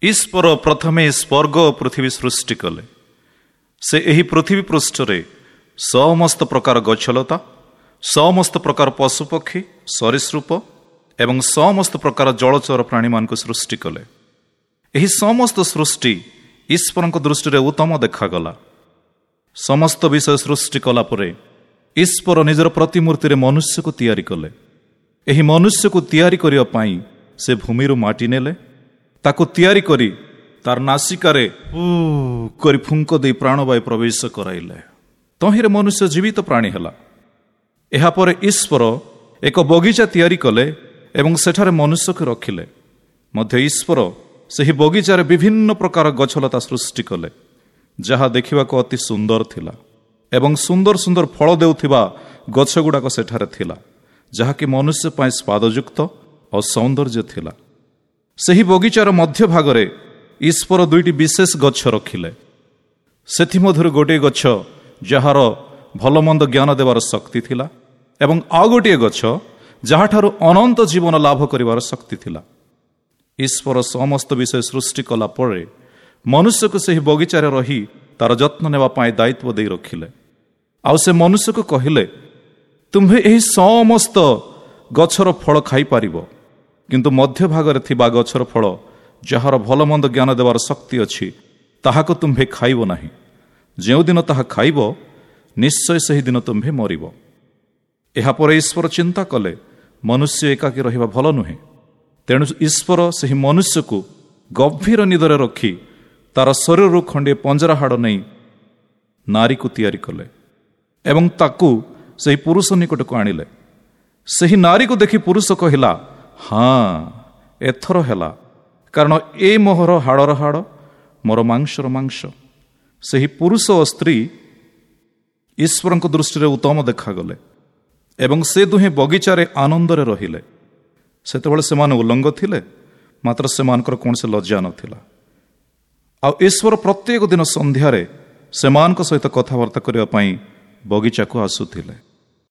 ଈଶ୍ୱର ପ୍ରଥମେ ସ୍ୱର୍ଗ ଓ ପୃଥିବୀ ସୃଷ୍ଟି କଲେ। ସେ ଏହି ପୃଥିବୀ ପୃଷ୍ଠରେ ସମସ୍ତ ପ୍ରକାର ଗଛଲତା, ସମସ୍ତ ପ୍ରକାର ପଶୁପକ୍ଷୀ, ସରୀସୃପ ଏବଂ ସମସ୍ତ ପ୍ରକାର ଜଳଚର ପ୍ରାଣୀମାନଙ୍କୁ ସୃଷ୍ଟି କଲେ। ଏହି ସମସ୍ତ ସୃଷ୍ଟି ଈଶ୍ୱରଙ୍କ ଦୃଷ୍ଟିରେ ଉତ୍ତମ ଦେଖାଗଲା। ସମସ୍ତ ବିଷୟ ସୃଷ୍ଟି କଲା ପରେ ଈଶ୍ୱର ନିଜର ପ୍ରତିମୂର୍ତ୍ତିରେ ମନୁଷ୍ୟକୁ ତିଆରି କଲେ। ଏହି ମନୁଷ୍ୟକୁ ତିଆରି କରିବା ପାଇଁ ସେ ଭୂମିରୁ ମାଟି ନେଲେ, ତାକୁ ତିଆରି କରି ତାର ନାସିକାରେ କରି ଫୁଙ୍କ ଦେଇ ପ୍ରାଣବାୟୁ ପ୍ରବେଶ କରାଇଲେ। ତହିଁରେ ମନୁଷ୍ୟ ଜୀବିତ ପ୍ରାଣୀ ହେଲା। ଏହାପରେ ଈଶ୍ୱର ଏକ ବଗିଚା ତିଆରି କଲେ ଏବଂ ସେଠାରେ ମନୁଷ୍ୟକୁ ରଖିଲେ। ମଧ୍ୟ ଈଶ୍ୱର ସେହି ବଗିଚାରେ ବିଭିନ୍ନ ପ୍ରକାର ଗଛଲତା ସୃଷ୍ଟି କଲେ, ଯାହା ଦେଖିବାକୁ ଅତି ସୁନ୍ଦର ଥିଲା ଏବଂ ସୁନ୍ଦର ସୁନ୍ଦର ଫଳ ଦେଉଥିବା ଗଛଗୁଡ଼ାକ ସେଠାରେ ଥିଲା, ଯାହାକି ମନୁଷ୍ୟ ପାଇଁ ସ୍ୱାଦଯୁକ୍ତ ଓ ସୌନ୍ଦର୍ଯ୍ୟ ଥିଲା। ସେହି ବଗିଚାର ମଧ୍ୟଭାଗରେ ଈଶ୍ୱର ଦୁଇଟି ବିଶେଷ ଗଛ ରଖିଲେ। ସେଥିମଧ୍ୟରୁ ଗୋଟିଏ ଗଛ ଯାହାର ଭଲମନ୍ଦ ଜ୍ଞାନ ଦେବାର ଶକ୍ତି ଥିଲା ଏବଂ ଆଉ ଗୋଟିଏ ଗଛ ଯାହାଠାରୁ ଅନନ୍ତ ଜୀବନ ଲାଭ କରିବାର ଶକ୍ତି ଥିଲା। ଈଶ୍ୱର ସମସ୍ତ ବିଷୟ ସୃଷ୍ଟି କଲା ପରେ ମନୁଷ୍ୟକୁ ସେହି ବଗିଚାରେ ରହି ତାର ଯତ୍ନ ନେବା ପାଇଁ ଦାୟିତ୍ୱ ଦେଇ ରଖିଲେ। ଆଉ ସେ ମନୁଷ୍ୟକୁ କହିଲେ, ତୁମ୍ଭେ ଏହି ସମସ୍ତ ଗଛର ଫଳ ଖାଇପାରିବ, କିନ୍ତୁ ମଧ୍ୟଭାଗରେ ଥିବା ଗଛର ଫଳ ଯାହାର ଭଲମନ୍ଦ ଜ୍ଞାନ ଦେବାର ଶକ୍ତି ଅଛି ତାହାକୁ ତୁମ୍ଭେ ଖାଇବ ନାହିଁ। ଯେଉଁଦିନ ତାହା ଖାଇବ, ନିଶ୍ଚୟ ସେହିଦିନ ତୁମ୍ଭେ ମରିବ। ଏହାପରେ ଈଶ୍ୱର ଚିନ୍ତା କଲେ, ମନୁଷ୍ୟ ଏକାକୀ ରହିବା ଭଲ ନୁହେଁ। ତେଣୁ ଈଶ୍ୱର ସେହି ମନୁଷ୍ୟକୁ ଗଭୀର ନିଦରେ ରଖି ତାର ଶରୀରରୁ ଖଣ୍ଡିଏ ପଞ୍ଜରା ହାଡ଼ ନେଇ ନାରୀକୁ ତିଆରି କଲେ ଏବଂ ତାକୁ ସେହି ପୁରୁଷ ନିକଟକୁ ଆଣିଲେ। ସେହି ନାରୀକୁ ଦେଖି ପୁରୁଷ କହିଲା, ହଁ, ଏଥର ହେଲା, କାରଣ ଏ ମୋହର ହାଡ଼ର ହାଡ଼, ମୋର ମାଂସର ମାଂସ। ସେହି ପୁରୁଷ ଓ ସ୍ତ୍ରୀ ଈଶ୍ୱରଙ୍କ ଦୃଷ୍ଟିରେ ଉତ୍ତମ ଦେଖାଗଲେ ଏବଂ ସେ ଦୁହେଁ ବଗିଚାରେ ଆନନ୍ଦରେ ରହିଲେ। ସେତେବେଳେ ସେମାନେ ଉଲଙ୍ଗ ଥିଲେ, ମାତ୍ର ସେମାନଙ୍କର କୌଣସି ଲଜ୍ଜା ନଥିଲା। ଆଉ ଈଶ୍ୱର ପ୍ରତ୍ୟେକ ଦିନ ସନ୍ଧ୍ୟାରେ ସେମାନଙ୍କ ସହିତ କଥାବାର୍ତ୍ତା କରିବା ପାଇଁ ବଗିଚାକୁ ଆସୁଥିଲେ।